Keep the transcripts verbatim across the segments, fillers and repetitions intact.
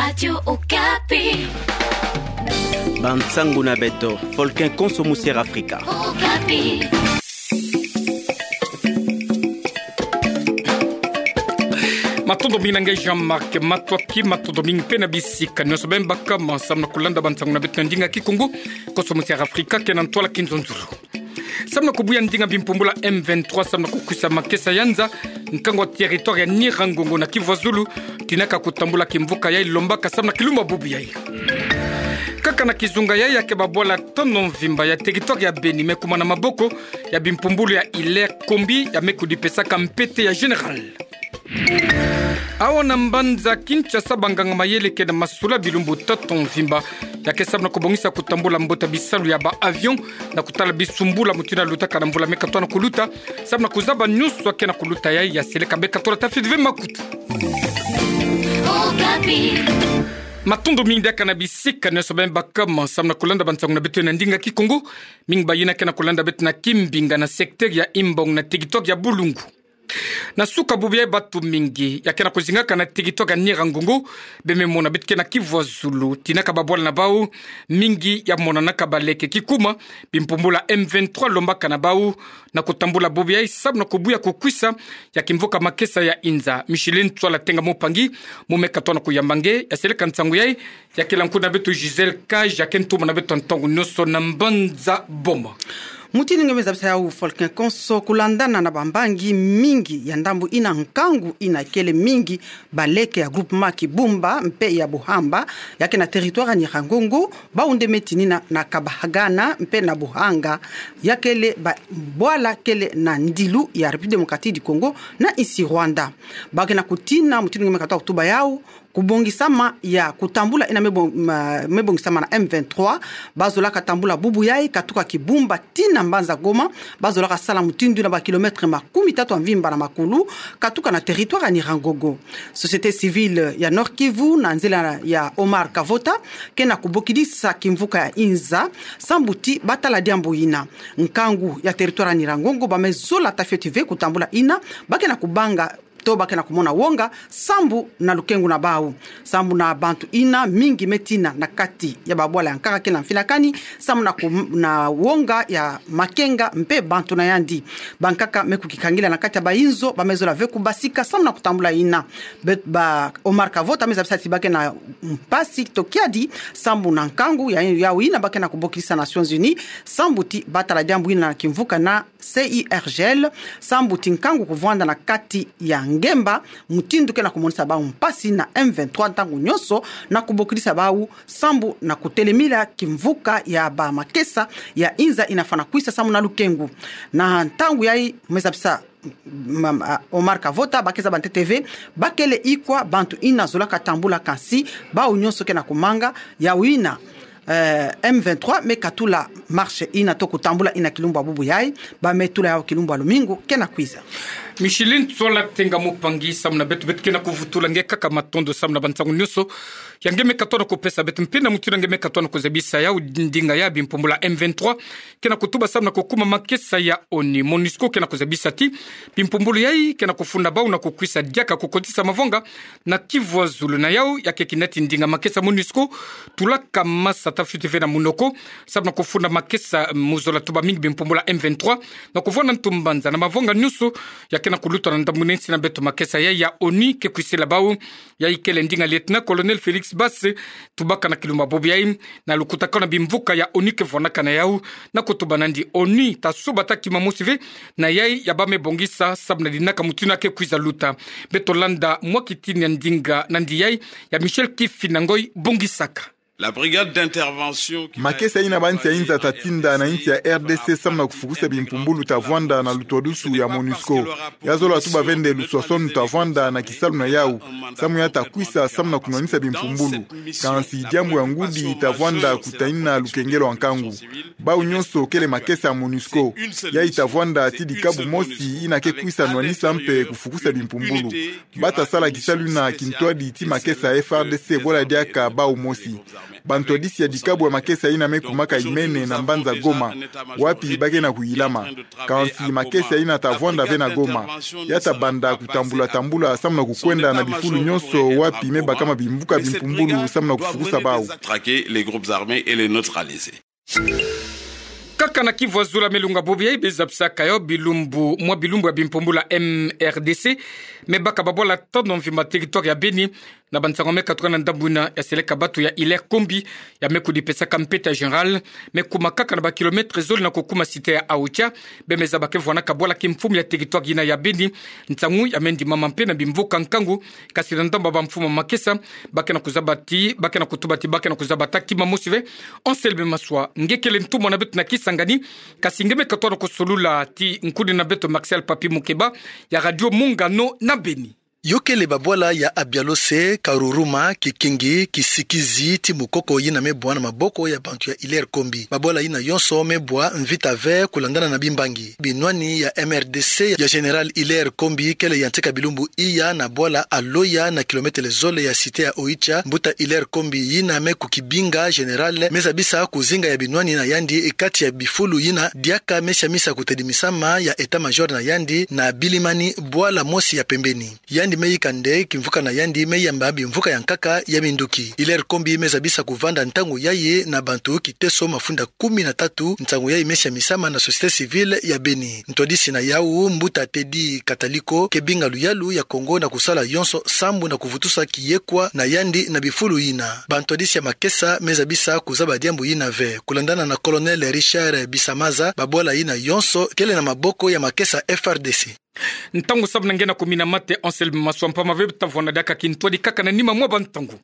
Radio Okapi. Bansangu na beto, Volcan Konso Musier Afrika. Okapi. Matondo mingi na nge Jean-Marc Matoaki, matondo mingi mpe na bisika nyonso beno baka ma samu na kulanda bansangu na beto na ndinga Kikongo, Konso Musier Afrika, kena ntwala kinzonzolo. Samu na kubuya ndinga bimpumbulu ya M vingt-trois samu na kukwisa makesa ya nza, nkangu wa territoire ya Nyiragongo na Kivu ya Zulu, tinaka kutambula kimvuka yayi lombaka samu na kilumbu bubu yayi. Kaka na kizunga yayi, ya ke babwala tono mvimba ya territoire ya Beni me kuma na maboko ya bimpumbulu ya Hilaire Kombi, ya me kudipesaka mpete ya général. Awa na mbanza Kinshasa, banganga mayele ke na masula bilumbu tatu mvimba ya ke samu na kubongisa kutambula mbote ya bisalu ya ba avion na kutala bisumbula mutindu ya lutaka na mvula me katoa na kuluta, samu na kuzaba nyonso ya ke na kuluta yayi, ya seleka beno katola ta fioti ve makutu. Matondo mingi diaka na bisika nyonso beno baka ma samu na kulanda bansangu na beto na ndinga Kikongo. Mingi bayina ke na kulanda beto na Kimbinga na secteur ya Imbong na territoire ya Bulungu. Na suka bubu yayi, bantu mingi ya ke na kuzingaka na territoire ya Nyiragongo, beno me mona beto ke na Kivu ya Zulu, tinaka babwala na bau mingi ya monanaka baleke kikuma bimpumbulu ya M vingt-trois lombaka na bau na kutambula bubu yayi samu na kubuya kukwisa ya kimvuka makesa ya inza. Micheline Tswala Tenga Mupangi, mu me katoa na kuyamba nge, ya seleka nsangu yayi, ya kila nkunga na beto Gisèle Kaj, ya ke ntuma na beto ntangu nyonso na mbanza Boma. Mutindu nge me zabisa yawu, Volcan Konso, kulandana na bambangi mingi ya ndambu ina, nkangu ina kele mingi baleke ya groupement Kibumba mpe ya Buhamba, ya ke na territoire ya Nyiragongo, bau nde me tinina na Kabahagana mpe na Buhanga, ya kele ba-, bwala kele na ndilu ya République Démocratique du Congo na insi Rwanda. Ba ke na kutina, mutindu nge me katoa kutuba yawu, kubongisama ya kutambula ina me bon-, ma-, me bongisama na M vingt-trois, bazolaka tambula bubu yayi katuka Kibumba tii na mbanza Goma, bazolaka sala mutindu na ba kilomètre makumi tatu ya mvimba na makulu, katuka na territoire ya Nyiragongo. Société civile ya Nord-Kivu, na nzila ya Omar Kavota, ke na kubokidisa kimvuka ya inza, sambu ti batala diambu ina. Nkangu ya territoire ya Nyiragongo, ba me zola ta fioti ve kutambula ina, ba ke na kubanga to ba ke na kumona wonga sambu na lukengu na bau, sambu na bantu ina mingi me tina na kati ya babwala ya nkaka ke na mfinakani, sambu na ku-, na wonga ya makenga mpe bantu na yandi. Bankaka me kukikangila na kati ya bayinzo, ba me zola ve kubasika sambu na kutambula ina. Be-, ba Omar Kavota me zabisa ti ba ke na mpasi to kiadi sambu na nkangu ya, yawu ina ba ke na kubokisa Nations Unies, sambu ti batala diambu ina na kimvuka na C I R G L, sambu ti nkangu kuvwanda na kati ya ngemba, mutindu ke na kumonisa bau mpasi na M vingt-trois ntangu nyonso, na kubokidisa bau sambu na kutelemila kimvuka ya bamakesa ya inza ina fwana kwisa sambu na lukengu. Na ntangu yayi me zabisa, ma-, ma-, Omar Kavota, ba ke zaba ntete ve ba kele ikwa bantu ina zolaka tambula, kansi bau nyonso ke na kumanga yawu ina, eh, M vingt-trois me katula marche ina to kutambula ina kilumbu ya bubu yayi, ba me tula yawu kilumbu ya lumingu ke na kwiza. Micheline Tswala Tenga Mupangi, sambu na beto, beto ke na kuvutula nge kaka matondo sambu na bansangu nyonso ya nge me katoa na kupesa beto, mpe na mutindu ya nge me katoa na kuzabisa yawu, ndinga ya bimpumbulu ya M vingt-trois ke na kutuba sambu na kukuma makesa ya ONU. MONUSCO ke na kuzabisa ti bimpumbulu yayi ke na kufunda bau na kukwisa diaka kukotisa mavonga na Kivu ya Zulu. Na yawu ya ke kina ti ndinga makesa MONUSCO tulaka masa ta fioti ve na munoko, sambu na kufunda makesa mu zola tuba mingi bimpumbulu ya M vingt-trois, na kuvwanda ntu mbanza na mavonga nyonso ya ke na kuluta na ndambu na insi na beto. Makesa yayi ya ONU ke kwisila bau, yayi kele ndinga Lieutenant-colonel Félix Basse tubaka na kilumbu ya bubu yayi, na lukutakano na bimvuka ya ONU ke vwanaka na yawu, na kutuba nandi ONU ta suba ta kima mosi ve na yayi ya ba me bongisa, sambu na dinaka mutindu ya ke kwiza luta. Beto landa mwa kitini ya ndinga nandi yayi ya Michel Kifinda Ngoy bongisaka. La brigade d'intervention qui va être déployée par la R D C. Makesa ina bansi ya inza ta tinda na insi ya R D C sambu na kufukusa bimpumbulu ta vwanda na lutwadusu ya MONUSCO. Ya zola tuba ve nde luswaswanu ta vwanda na kisalu na yawu, samu ya ta kwisa sambu na kunwanisa bimpumbulu. Kansi diambu ya ngudi ta vwanda kutanina lukengelo wa nkangu. Bau nyonso kele makesa ya MONUSCO. Yayi ta vwanda ti dikabu mosi ina ke kwisa nwanisa mpe kufukusa bimpumbulu. Ba ta sala kisalu ina kintwadi ti makesa ya F A R D C bwala diaka bau mosi. Bantwadisi ya dikabu ya makesa yina me kumaka Imene na mbanza Goma, wapi ba ke na kuyilama. Kansi makesa yina ta vwanda ve na Goma. Ya ta banda kutambula tambula samu na kukwenda na bifulu nyonso wapi me bakama bimvuka bimpumbulu samu na kufukusa bau. Kaka na kivwazula, me lunga bobo yayi be zabisaka yo bilumbu, mwa bilumbu ya bimpumbulu ya M R D C me baka babwala tanu mvimba territoire ya Beni, na bansangu me katuka na ndambu yina ya seleka batu ya Hilaire Kombi, ya me kudipesaka mpeta général, me kuma kaka na ba kilomètre zole na kukuma cité ya Oicha. Be me zaba ke vwanaka bwala kimfumu ya territoire yina ya Beni. Nsangu ya me ndimama mpe na bimvuka nkangu, kasi na ndambu ya bamfumu ya makesa, ba ke na kuzaba ti, ba ke na kutuba ti ba ke na kuzaba ta kima mosi ve. Anselme Maswa, nge kele ntumwa na beto na Kisangani, kasi nge me katono kusolula ti nkuni na beto Martial Papi Mukeba, ya Radio Mungano na Beni. Yo kele babwala ya Abialose, Karuruma, Kikingi, Kisikizi, ti Mukoko yina me bwa na maboko ya bantu ya Hilaire Kombi. Babwala yina yonso me bwa mvita ve kulandana na bimbangi. Binwani ya M R D C ya Général Hilaire Kombi kele ya ntika bilumbu iya na bwala Aloya na kilomètre zole ya cité ya Oicha, mbuta Hilaire Kombi yina me kukibinga général me zabisa kuzinga ya binwani na yandi kati ya bifulu yina diaka me siamisa kutadimisama ya état-major na yandi na Bilimani, bwala mosi ya pembeni. Yandi me yika nde kimvuka na yandi me yamba bimvuka ya nkaka ya minduki. Hilaire Kombi me zabisa kuvanda ntangu yayi na bantu kiteso mafunda kumi na tatu, nsangu yayi me siamisama na société civile ya Beni. Ntwadisi na yawu, mbuta Teddy Kataliko, ke binga luyalu ya Kongo na kusala yonso sambu na kuvutusa kiyekwa na yandi na bifulu yina. Bantwadisi ya makesa me zabisa kuzaba diambu yina ve. Kulandana na Colonel Richard Bisamaza, babwala yina yonso kele na maboko ya makesa F R D C. Ntangu samu na nge na kumina mate, Anselme Maswa, mpamba ve ta vwanda diaka kintwadi kaka na nima mwa bantangu.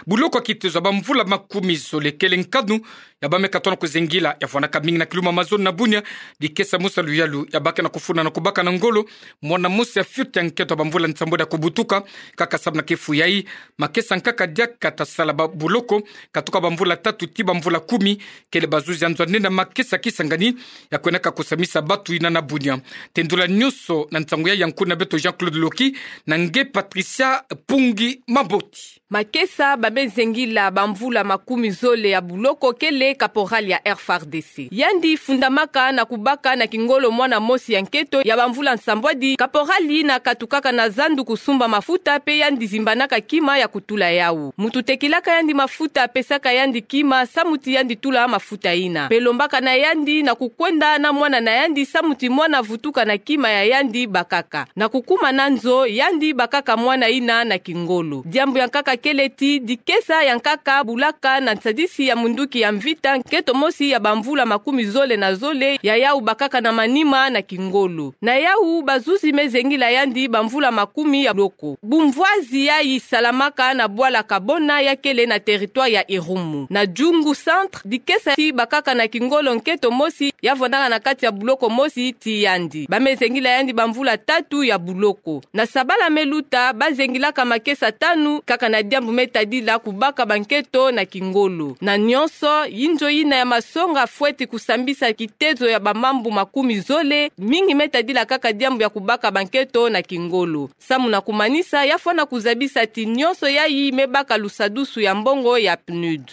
Buloko ya kitezo ya bamvula makumi zole kele nkanu ya ba me katono kuzengila, ya vwanaka mingi na kiluma Amazone na Bunia, dikesa mosi ya luyalu ya ba ke na kufuna na kubaka na ngolo mwana mosi ya fioti ya nketo ya bamvula nsambwadi ya kubutuka. Kaka samu na kifu yayi, makesa nkaka diaka ta sala ba buloko, katuka bamvula tatu ti bamvula kumi, kele bazuzi ya nzo ya nene ya makesa Kisangani, ya kwenaka kusamisa batu yina na Bunia. Tendula nyonso na nsangu yayi ya nkuni na beto Jean-Claude Loki na nge Patricia Pungi Maboti. Makesa ba me zengila bamvula makumi zole ya buloko kele caporal ya F R D C. Yandi fundamaka na kubaka na kingolo mwana mosi ya nketo ya bamvula nsambwadi. Caporal yina katukaka na zandu kusumba mafuta, mpe yandi zimbanaka kima ya kutula yawu. Muntu tekilaka yandi mafuta apesaka yandi kima samu ti yandi tula mafuta yina. Mpe lombaka na yandi na kukwenda na mwana na yandi samu ti mwana vutuka na kima ya yandi bakaka. Na kukuma na nzo, yandi bakaka mwana yina na kingolo. Diambu ya nkaka kele ti dikesa ya nkaka bulaka na nsadisi ya munduki ya mvita nketo mosi ya bamvula makumi zole na zole ya yawu bakaka na manima na kingolo. Na yawu bazuzi me zengila yandi bamvula makumi ya buloko. Bumvwazi yayi salamaka na bwala Kabona ya kele na territoire ya Irumu. Na Djungu Centre, dikesa ti bakaka na kingolo nketo mosi ya vwandaka na kati ya buloko mosi ti yandi. Ba me zengila yandi bamvula tatu ya buloko. Na sabala me luta, ba zengilaka makesa tanu kaka na diambu me tadila kubaka banketo na kingolo. Na nyonso, yinzo yina ya masonga fweti kusambisa kitezo ya bamambu makumi zole, mingi me tadila kaka diambu ya kubaka banketo na kingolo. Samu na kumanisa, ya fwana kuzabisa ti nyonso yayi me baka lusadusu ya mbongo ya PNUD.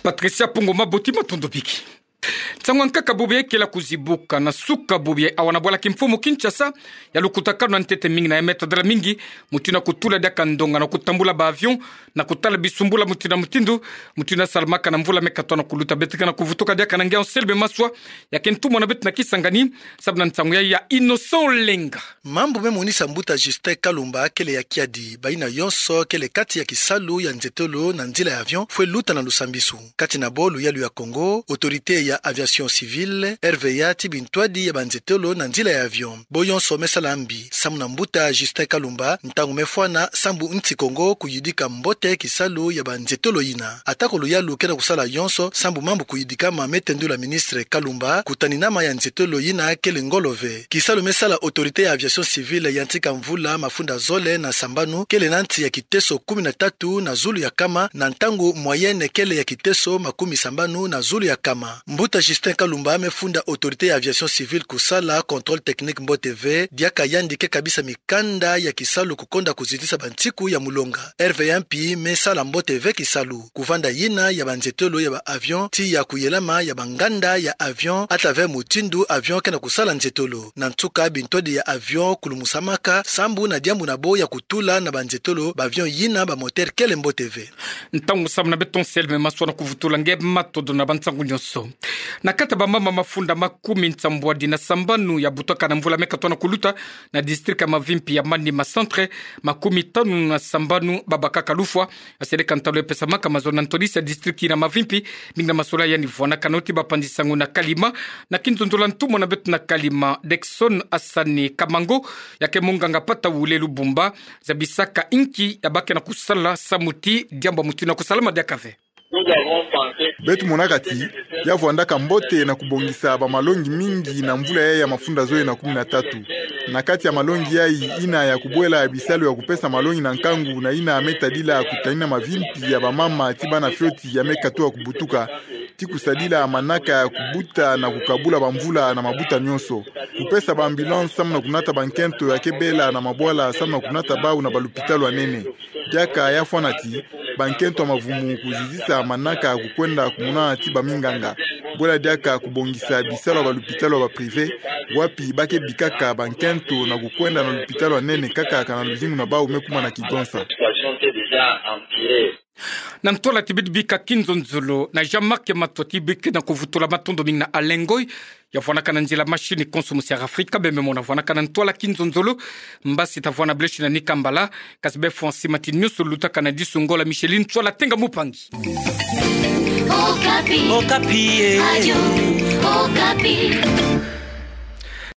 Patricia Pungu Maboti, matondo biki. Nsangu ya nkaka bubu yayi kele ya kuzibuka na suka bubu yayi awa na bwala kimfumu Kinshasa, ya lukutakanu na ntete mingi na ya me tadila mingi, mutindu na kutula diaka ndonga na kutambula ba avion, na kutala bisumbula mutindu na mutindu, mutindu ya salamaka na mvula me katono kuluta. Beto ke na kuvutuka diaka na nge Anselme Maswa, ya ke ntumwa na beto na Kisangani, samu na nsangu yayi ya Innocent Olenga. Mambu me monisa mbuta Justin Kalumba kele ya kiadi, bayina yonso kele kati ya kisalu ya nzietolo na nzila ya avion fwe luta na lusambisu. Kati na bo luyalu ya Kongo, Autorité ya Aviation Civile, R V A ti bintwadi ya banzietolo na nzila ya avion. Bo yonso me sala mbi, samu na mbuta Justin Kalumba, ntangu me fwana sambu nsi Kongo kuyidika mbote kisalu ya banzietolo yina. Atako luyalu ke na kusala yonso sambu mambu kuyidikama, me tendula ministre Kalumba, kutaninama ya nzietolo yina kele ngolo ve. Kisalu me sala Autorité ya Aviation Civile ya ntika mvula mafunda zole na sambanu kele na nsi ya kiteso kumi na tatu na zulu ya kama, na ntangu moyenne kele ya kiteso makumi sambanu na zulu ya kama. Mbuta Justin Martin Kalumba me funda Autorité ya Aviation Civile kusala contrôle technique mbote ve, diaka yandi ke kabisa mikanda ya kisalu kukonda kuzitisa bantiku ya mulonga. Hervé Yampi me sala mbote ve kisalu kuvanda yina ya banzetolo ya ba avion, tiya kuyelama ya banganda ya avion, à travers mutindu avion ke na kusala nzetolo. Na nsuka, bintwadi ya avion kulumusamaka sambu na diambu na bo ya kutula na banzetolo ba avion yina ba moteur kele mbote ve. Ntangu samu na beto Anselme Maswa na kuvutula nge matondo na bansangu nyonso. Na kati ya bamama mafunda makumi nsambwadi na sambanu ya butaka na mvula me katoa na kuluta na district ya Mavimpi ya Maniema Centre, makumi tanu na sambanu babakaka lufwa. Asedeka ntalu ya pesamaka mazono na ntwadisi ya district na Mavimpi, mingi na masolo yandi vwanakana oti bapanzi sango na Kalima, na kinzonzolo ya ntumwa na beto na Kalima, Dexon Asani Kamango, ya ke munganga pata wule Lubumba, zabisaka inki ya ba ke na kusala samu ti diambu ya mutindu na kusalama diaka ve. Beto monaka ti ya vwandaka mbote na kubongisa bamalongi mingi na mvula yayi ya mafunda zole na kumi na tatu. Na kati ya malongi yayi, ina ya kubwela bisalu ya kupesa malongi na nkangu na ina me tadila kutanina mavimpi ya bamama ti bana fioti ya me katuka kubutuka, ti kusadila manaka ya kubuta na kukabula bamvula na mabuta nyonso. Kupesa ba ambulance samu na kunata bankento ya ke bela na mabwala samu na kunata bau na balupitalu ya nene. Diaka ya fwana ti bankento ya mavumu kuzizisa manaka kukwenda kumona ti baminganga. Bwela diaka kubongisa bisalu ya balupitalu ya ba privé, wapi ba ke bikaka bankento na kukwenda na lupitalu ya nene kaka kana luzingu na bau me kuma na kigonsa. Na ntwala ti bidi bika kinzonzolo na Jean-Marc Matua ti bike na kuvutula, matondo mingi na Alain Ngoy, ya vwanakana nzila machine konso musi ya Afrika, bembe mo na vwanakana ntwala kinzonzolo, mbasi ta vwana bleshi na nika mbala, kasi befwa nsi mati nyonso lutaka na disu ngola Micheline Ntwala Tenga Mupangi. Okapi. Okapi, eh. Radio Okapi.